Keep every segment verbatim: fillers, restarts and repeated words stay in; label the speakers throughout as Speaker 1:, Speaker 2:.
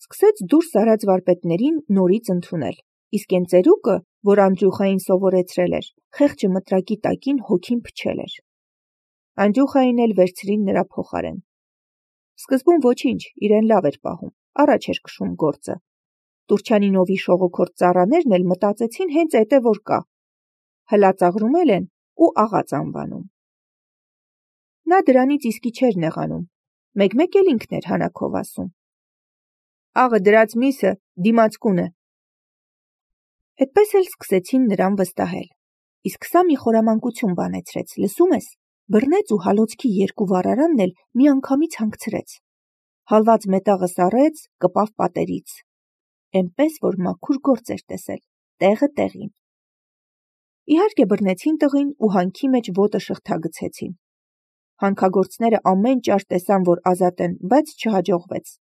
Speaker 1: սկսեց դուրս արած վարպետներին նորից ընդունել, իսկ այն ծերուկը, որ Անդրյուխային սովորեցրել էր, խեղճը մտրակի տակին հոգին փչել էր։ Անդրյուխային էլ վերցրին նրա փոխարեն։ Սկզբում ոչինչ, իրեն լավ էր պահում, առաջ էր քշում գործը։ Տուրչյանինովի շողոքորթ ծառաներն էլ մտածեցին հենց էտե որ կա։ Հլածաղրումել են ու աղաց անվանում։ Նա դրանից իսկի չէր նեղանում, մեկ-մեկ էլ ինքն էր հանակով ասում. Աղը դրած միսը դիմացկուն է։ Այդպես էլ սկսեցին նրան վստահել, իսկ սա մի խորամանկություն բանեցրեց, լսում ես, բռնեց ու հալոցքի երկու վառարանն էլ միանգամից հանգցրեց։ Հալված մետաղը սառեց, կպավ պատերից։ Էնպես որ մաքուր գործ էր տեսել, տեղը տեղին։ Իհարկե բռնեցին տղին ու հանքի մեջ ոտը շղթագցեցին։ Հանքագործները ամեն ճար տեսան, որ ազատեն, բայց չհաջողվեց։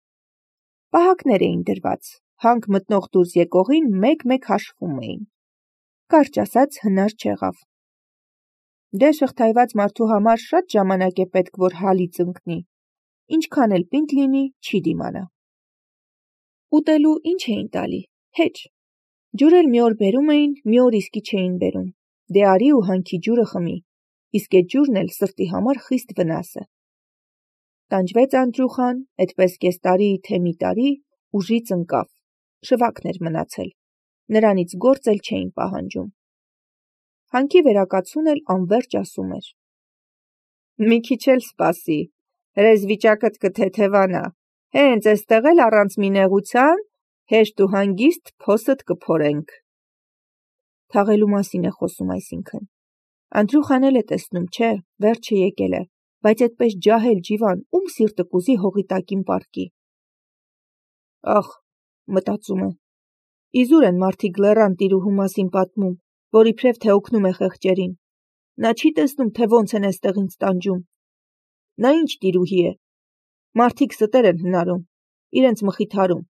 Speaker 1: Պահակներ էին դրված, հանք մտնող դուրս եկողին մեկ-մեկ հաշվում էին։ Կարճ ասած հնար չեղավ։ Դե շղթայված մարդու համար շատ ժամանակ է պետք, որ հալից ընկնի, ինչքան էլ պինդ լինի, չի դիմանա։ Ուտելու ինչ էին տալի, հեչ։ Ջուր էլ մի օր բերում էին, մի օր իսկի չէին բերում, դե արի ու հանքի ջուրը խմի, իսկ այդ ջուրն էլ սրտի համար խիստ վնաս է։ Տանջվեց Անդրյուխան, այդպես կես տարի, թե մի տարի, ուժից ընկավ, շվակն էր մնացել, նրանից գործ էլ չէին պահանջում։ Հանքի վերակացուն էլ անվերջ ասում էր. Մի քիչ էլ սպասի, հրես վիճակդ կթեթևանա, հենց էստեղ էլ առանց մի նեղության, հեշտ ու հանգիստ փոսդ կփորենք։ Թաղելու մասին է խոսում այսինքն։ Անդրյուխան էլ է տեսնում, չէ, վերջը եկել է, բայց այդպես ջահել ջիվան, ում սիրտը կուզի հողի տակին պառկի։ Ախ, մտածում է, իզուր են մարդիկ լեռան տիրուհու մասին պատմում, որ իբրև թե օգնում է խեղճերին։ Նա չի տեսնում, թե ոնց են էստեղ ինձ տանջում։ Նա ինչ տիրուհի է։ Մարդիկ ստեր են հնարում, իրենց մխիթարում։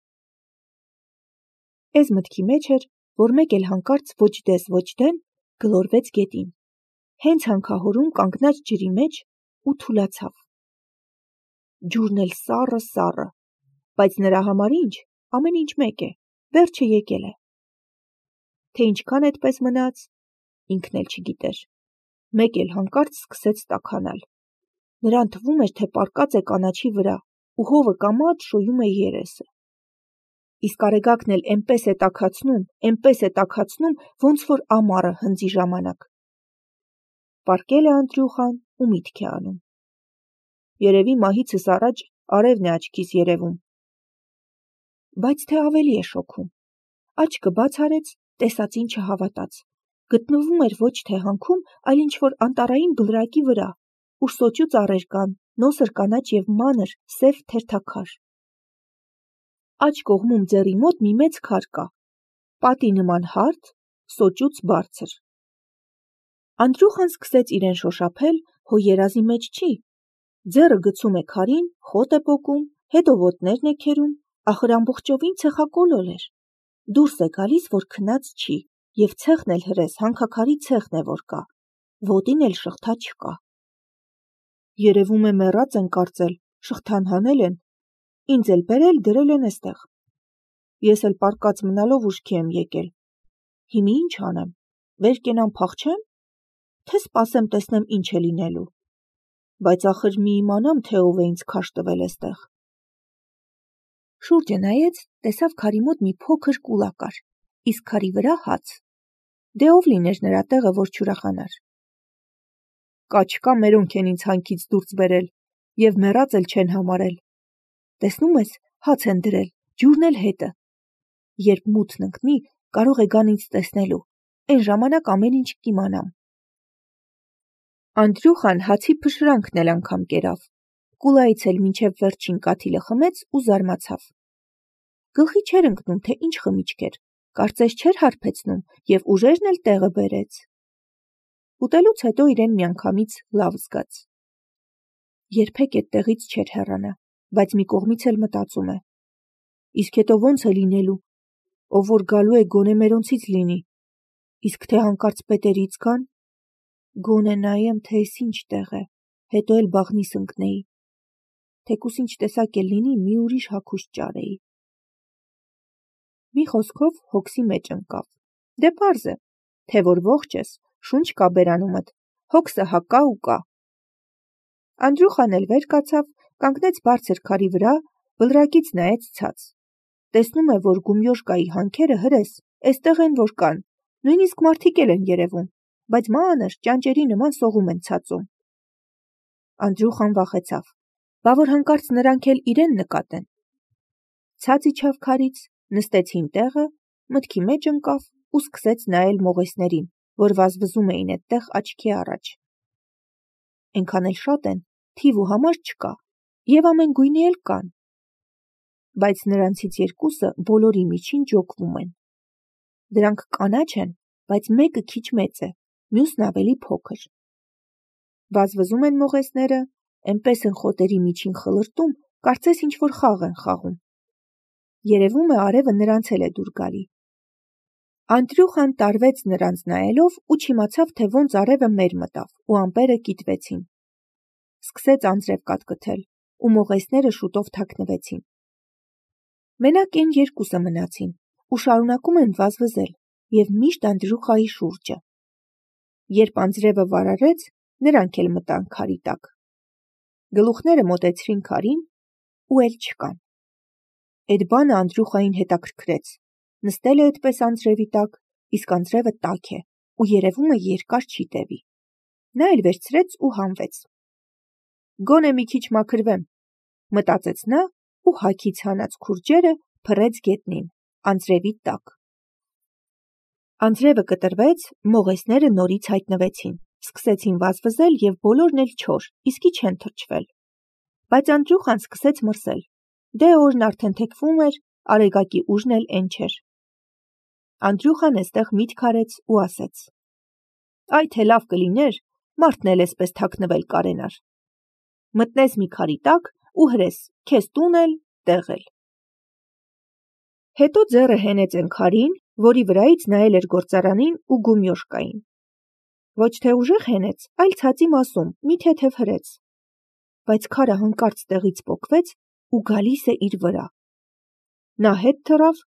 Speaker 1: Էս մտքի մեջ էր, որ մեկ էլ հանկարծ ոչ դես ոչ դեն գլորվեց գետին։ Հենց հանքահորում կանգնած ջրի մեջ ու թուլացավ։ Ջուրն էլ սառը սառը, բայց նրա համար ինչ, ամեն ինչ մեկ է, վերջը եկել է։ Թե ինչքան այդպես մնաց, ինքն էլ չգիտեր։ Մեկ էլ հանկարծ սկսեց տաքանալ։ Նրան թվում էր, թե պառկած է կանաչի վրա ու հովը կամաց շոյում է երեսը։ Իսկ արեգակն էլ էնպես է տաքացնում, էնպես է տաքացնում, ոնց որ ամառը հնձի ժամանակ։ Պառկել է Անդրյուխան ու միտք է անում։ Երևի մահիցս առաջ արևն է աչքիս երևում։ Բայց թե ավելի է շոքում։ Աչքը բաց արեց, տեսածին չհավատաց։ Գտնվում էր ոչ թե հանքում, այլ ինչ-որ անտառային բլրակի վրա, ուր սոճու ծառեր կան, նոսր կանաչ և մանր, սև թերթաքար։ Աջ կողմում ձեռի մոտ մի մեծ քար կա, պատի նման հարթ, սոճուց բարձր։ Անդրյուխան սկսեց իրեն շոշափել, հո երազի մեջ չի։ Ձեռը գցում է քարին, խոտ է պոկում, հետո ոտներն է քերում, ախր ամբողջովին ցեխակոլոլ էր։ Դուրս է գալիս, որ քնած չի, և ցեխն էլ հրես հանքաքարի ցեխն է, որ կա, ոտին էլ շղթա չկա։ Երևում է մեռած են կարծել, շղթան հանել են, ինձ էլ բերել դրել են էստեղ։ Ես էլ պառկած մնալով ուշքի եմ եկել։ Հիմա ինչ անեմ, վեր կենամ փախչեմ, թե սպասեմ տեսնեմ ինչ է լինելու։ Բայց ախր մի իմանամ, թե ով է ինձ քարշ տվել էստեղ։ Շուրջը նայեց, տեսավ քարի մոտ մի փոքր կուլա կար, իսկ քարի վրա հաց։ Դե ով լիներ նրա տեղը, որ չուրախանար։ Կա-չկա մերոնք են ինձ հանքից դուրս բերել, և մեռած էլ չեն համարել։ Տեսնում ես, հաց են դրել, ջուրն էլ հետը։ Երբ մութն ընկնի, կարող է գան ինձ տեսնելու, այն ժամանակ ամեն ինչ կիմանամ։ Անդրյուխան հացի փշրանքն էլ անգամ կերավ, կուլայից էլ մինչև վերջին կաթիլը խմեց ու զարմացավ։ Գլխի չէր ընկնում, թե ինչ խմիչք էր, կարծես չէր հարբեցնում և ուժերն էլ տեղը բերեց։ Ուտելուց հետո իրեն միանգամից լավ զգաց։ Երբեք այդտեղից չէր հեռանա, բայց մի կողմից էլ մտածում է. իսկ հետո ոնց է լինելու, ով որ գալու է գոնե մերոնցից լինի, իսկ թե հանկարծ պետերից գան, գոնե նայեմ, թե էս ինչ տեղ է, հետո էլ բաղնիս ընկնեի, թեկուս ինչ տեսակ էլ լինի, մի ուրիշ հագուստ ճարեի։ Մի խոսքով հոգսի մեջ ընկավ. դե պարզ է, թե որ ողջ ես, շունչ կա բերանումդ, հոգսը հակա ու կա։ Անդրուխան էլ վեր կացավ, կանգնեց բարձր քարի վրա, բլրակից նայեց ցած։ Տեսնում է, որ գումյոշկայի հանքերը հրես, էստեղ են որ կան, նույնիսկ մարդիկ էլ են երևում, բայց մանր ճանճերի նման սողում են ցածում։ Անդրուխան վախեցավ, բա որ հանկարծ նրանք էլ իրեն նկատեն։ Ցած իջավ քարից, նստեց հին տեղը, մտքի մեջ ընկավ ու սկսեց նայել մողեսներին, որ վազվզում էին այդտեղ աչքի առաջ։ Էնքան էլ շատ են, թիվ ու համար չկա, եւ ամեն գույնի էլ կան։ Բայց նրանցից երկուսը բոլորի միջին ջոկվում են։ Դրանք կանաչ են, բայց մեկը քիչ մեծ է, մյուսն ավելի փոքր։ Վազվզում են մողեսները, էնպես են խոտերի միջին խլրտում, կարծես ինչ-որ խաղ են խաղում։ Երևում է արևը նրանց էլ է դուր գալի։ Անդրուխան տարվեց նրանց նայելով ու չիմացավ, թե ոնց արևը մեր մտավ ու ամպերը կիտվեցին։ Սկսեց անձրև կատկթել ու մողեսները շուտով թաքնվեցին։ Մենակ են երկուսը մնացին ու շարունակում են վազվզել եւ միշտ Անդրուխայի շուրջը։ Երբ անձրևը վարարեց, նրանք էլ մտան քարի տակ։ Գլուխները մոտեցրին քարին ու էլ չկան։ Այդ բանը Անդրուխային հետաքրքրեց։ Նստել է այդպես անձրևի տակ, իսկ անձրևը տաք է ու երևում է երկար չի տևի։ Նա էլ վերցրեց ու հանվեց։ Գոնե մի քիչ մաքրվեմ, մտածեց նա ու հագից հանած քուրջերը փռեց գետնին, անձրևի տակ։ Անձրևը կտրվեց, մողեսները նորից հայտնվեցին, սկսեցին վազվզել եւ բոլորն էլ չոր, իսկի չեն թրջվել։ Բայց Անդրուխան սկսեց մրսել։ Դե օրն արդեն թեքվում էր, արեգակի ուժն էլ էն չէր։ Անդրուխան էստեղ միտք արեց ու ասեց. Այ թե լավ կլիներ, մարդն էլ էսպես թաքնվել կարենար։ Մտնես մի քարի տակ ու հրես, քեզ տուն էլ, տեղ էլ։ Հետո ձեռը հենեց են քարին, որի վրայից նայել էր գործարանին ու գումյոշկային։ Ոչ թե ուժեղ հենեց, այլ ցածի մասում, մի թեթև հրեց։ Բայց քարը հանկարծ տեղից պոկվեց ու գալիս է իր վրա։ Նա հետ թռավ,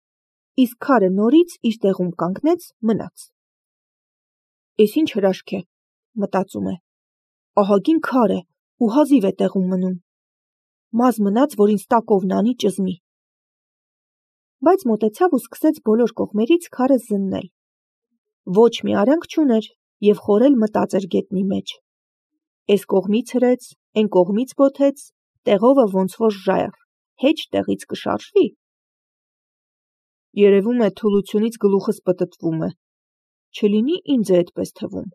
Speaker 1: իսկ քարը նորից իր տեղում կանգնեց, մնաց։ Էս ինչ հրաշք է, մտածում է։ Ահագին քար է ու հազիվ է տեղում մնում։ Մազ մնաց, որ ինձ տակովն անի ճզմի։ Բայց մոտեցավ ու սկսեց բոլոր կողմերից քարը զննել։ Ոչ մի արանք չուներ եւ խորել մտած էր գետնի մեջ։ Էս կողմից հրեց, էն կողմից բոթեց, տեղովը ոնց որ ժայռ, հեչ տեղից կշարժվի։ Երևում է թուլությունից գլուխս պտտվում է։ Չլինի ինձ է այդպես թվում։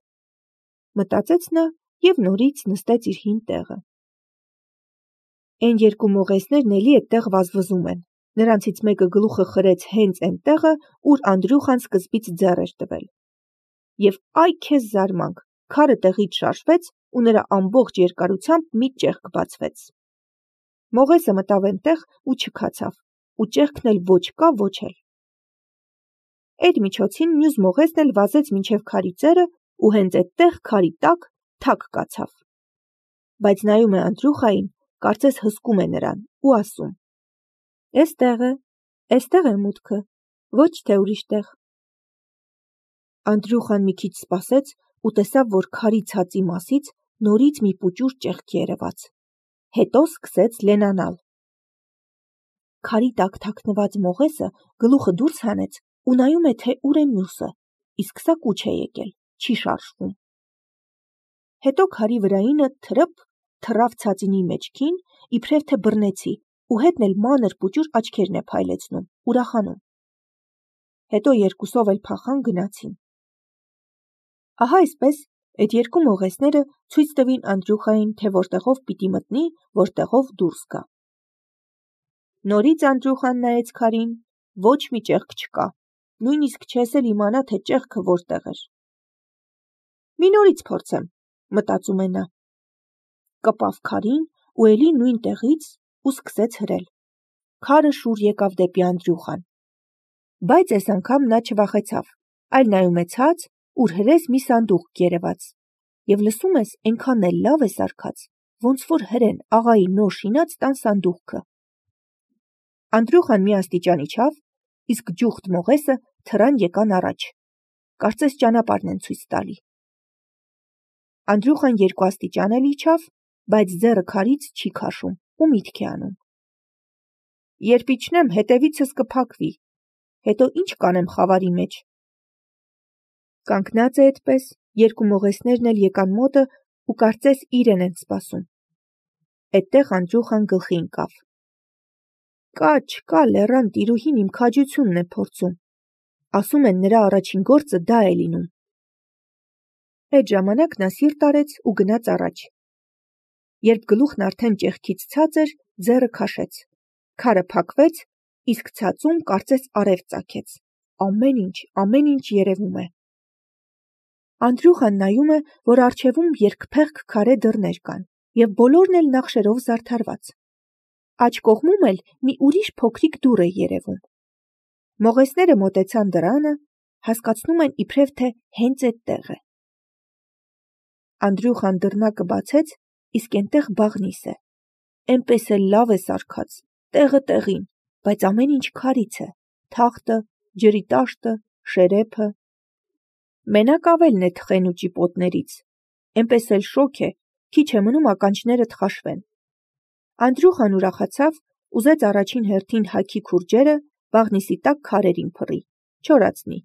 Speaker 1: Մտածեց նա եւ նորից նստեց իր հին տեղը։ Էն երկու մողեսներն էլի այդտեղ վազվզում են։ Նրանցից մեկը գլուխը խրեց հենց այն տեղը, ուր Անդրուխան սկզբից ձեռ էր տվել։ Եվ այ քեզ զարմանք, քարը տեղից շարժվեց ու նրա ամբողջ երկարությամբ մի ճեղք բացվեց։ Մողեսը մտավ այնտեղ ու չքացավ, ու ճեղքն էլ ոչ կա, ոչ էլ։ Այդ միջոցին մյուս մողեսն էլ վազեց մինչև քարի ծերը ու հենց այդտեղ քարի տակ թակ կացավ։ Բայց նայում է Անդրուխային, կարծես հսկում է նրան ու ասում. Էստեղ է, էստեղ է մուտքը, ոչ թե ուրիշ տեղ։ Անդրուխան մի քիչ սպասեց ու տեսավ, որ քարի ցածի մասից նորից մի պուճուր ճեղք երևաց։ Հետո սկսեց լենանալ։ Քարի տակ թաքնված մողեսը գլուխը դուրս հանեց ու նայում է, թե ուր է մյուսը, իսկ սա կուչ է եկել, չի շարժվում։ Հետո քարի վրայինը թրփ թռավ ցածինի մեջքին, իբրև թե բռնեցի, ու հետն էլ մանր պուճուր աչքերն է փայլեցնում, ուրախանում։ Հետո երկուսով էլ փախան գնացին։ Ահա այսպես այդ երկու մողեսները ցույց տվին Անդրուխային, թե որտեղով պիտի մտնի, որտեղով դուրս գա։ Նորից Անդրուխան նայեց քարին, ոչ մի ճեղք չկա, նույնիսկ չես էլ իմանա, թե ճեղքը որտեղ էր։ Մի նորից փորձեմ, մտածում է նա։ Կպավ քարին ու էլի նույն տեղից ու սկսեց հրել։ Քարը շուռ եկավ դեպի Անդրուխան։ Բայց այս անգամ նա չվախեցավ, այլ նայում է ցած, ուր հրես մի սանդուղք երևաց։ Եվ լսում ես, այնքան էլ լավ է սարքած, ոնց որ հրեն աղայի նոր շինած տան սանդուղքը։ Անդրուխան մի աստիճան իջավ, իսկ ջուխտ մողեսը թռան եկան առաջ, կարծես ճանապարհն են ցույց տալի։ Անդրյուխան երկու աստիճան էլ իջավ, բայց ձեռը քարից չի քաշում ու միտք է անում։ Երբ իջնեմ, հետևիցս կփակվի, հետո ինչ կանեմ խավարի մեջ։ Կանգնած է այդպես, երկու մողեսներն էլ եկան մոտը ու կարծես իրեն են սպասում։ Այդտեղ Անդրյուխան գլխի ընկավ։ Կա, չկա, լեռան տիրուհին իմ քաջությունն է փորձում, ասում են նրա առաջին գործը դա է լինում։ Այդ ժամանակ նա սիրտ արեց ու գնաց առաջ։ Երբ գլուխն արդեն ճեղքից ցած էր, ձեռը քաշեց, քարը փակվեց, իսկ ցածում կարծես արև ծագեց, ամեն ինչ, ամեն ինչ երևում է։ Անդրյուխան նայում է, որ առջևում երկփեղկ քարե դռներ կան, և բոլորն էլ նախշերով զարդարված։ Աջ կողմում էլ մի ուրիշ փոքրիկ դուռ է երևում։ Մողեսները մոտեցան դռանը, հասկացնում են իբրև թե հենց այդտեղ է։ Անդրյուխան դռնակը բացեց, իսկ այնտեղ բաղնիս է։ Էնպես էլ լավ է սարքած, տեղը տեղին, բայց ամեն ինչ քարից է, թախտը, ջրի տաշտը, շերեփը։ Մենակ ավելն է թխեն ու ճիպոտներից, էնպես էլ շոգ է, քիչ է մնում ականջները թխաշվեն։ Անդրյուխան ուրախացավ, ուզեց առաջին հերթին հագի քուրջերը, բաղնիսի տակ քարերին փռի, չորացնի,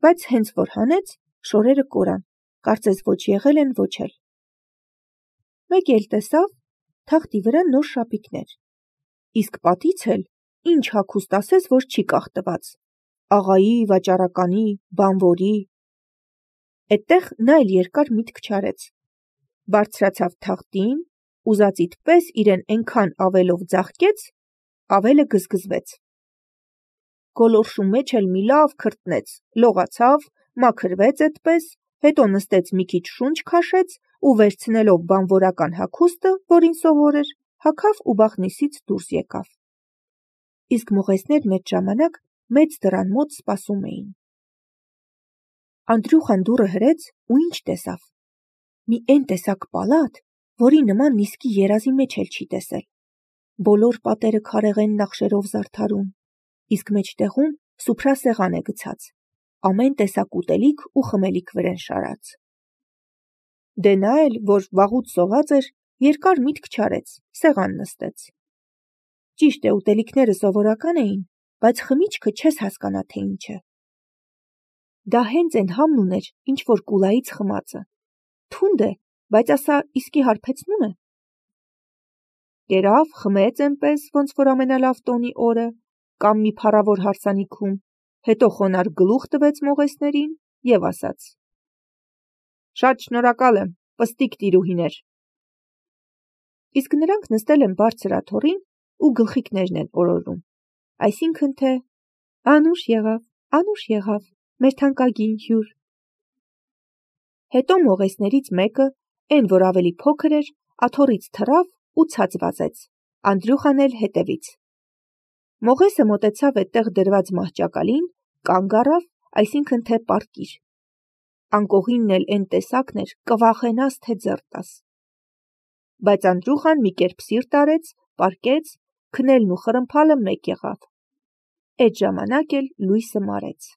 Speaker 1: բայց հենց որ հանեց, շորերը կորան, կարծես ոչ եղել են, ոչ էլ։ Մեկ էլ տեսավ, թախտի վրա նոր շապիկներ, իսկ պատից էլ, ինչ հագուստ ասես, որ չի կախտված, աղայի, վաճառականի, բանվորի։ Այդտեղ նա էլ երկար միտք չարեց, բարձրացավ թախտին, ուզածիդ պես իրեն այնքան ավելով ձաղկեց, ավելը գզգզվեց։ Գոլորշու մեջ էլ մի լավ քրտնեց, լողացավ, մաքրվեց այդպես, հետո նստեց մի քիչ շունչ քաշեց ու վերցնելով բանվորական հագուստը, որին սովոր էր, հագավ ու բաղնիսից դուրս եկավ։ Իսկ մողեսներն այդ ժամանակ մեծ դռան մոտ սպասում էին։ Անդրյուխան դուռը հրեց ու ինչ տեսավ։ Մի էն տեսակ պալատ, որի նման իսկի երազի մեջ էլ չի տեսել։ Բոլոր պատերը քարեղեն նախշերով զարդարում, իսկ մեջտեղում սուփրասեղան է գցած, ամեն տեսակ ուտելիք ու խմելիք վրան շարած։ Դե նա էլ, որ վաղուց սոված էր, երկար միտք չարեց, սեղան նստեց։ Ճիշտ է, ուտելիքները սովորական էին, բայց խմիչքը չես հասկանա, թե ինչ է։ Դա հենց այն համն ուներ, ինչ որ կուլայից խմածը։ Թունդ է, բայց ասա իսկի հարբեցնում է։ Կերավ, խմեց այնպես, ոնց որ ամենալավ տոնի օրը, կամ մի փառավոր հարսանիքում, հետո խոնարհ գլուխ տվեց մողեսներին և ասաց. Շատ շնորհակալ եմ, պստիկ տիրուհիներ։ Իսկ նրանք նստել են բարձր աթոռին ու գլխիկներն են օրորում, այսինքն թե անուշ եղավ, անուշ եղավ, մեր թանկագին հյուր։ Հետո մողեսներից մեկը, այն որ ավելի փոքր էր, աթոռից թռավ ու ցած վազեց, Անդրյուխան էլ հետևից։ Մողեսը մոտեցավ այդտեղ դրված մահճակալին, կանգ առավ, այսինքն թե պառկիր։ Անկողինն էլ էն տեսակն էր, կվախենաս, թե ձեռ տաս։ Բայց Անդրյուխան մի կերպ սիրտ արեց, պառկեց, քնելն ու խրմփալը մեկ եղավ։ Այդ ժամանակ էլ լույսը մարեց։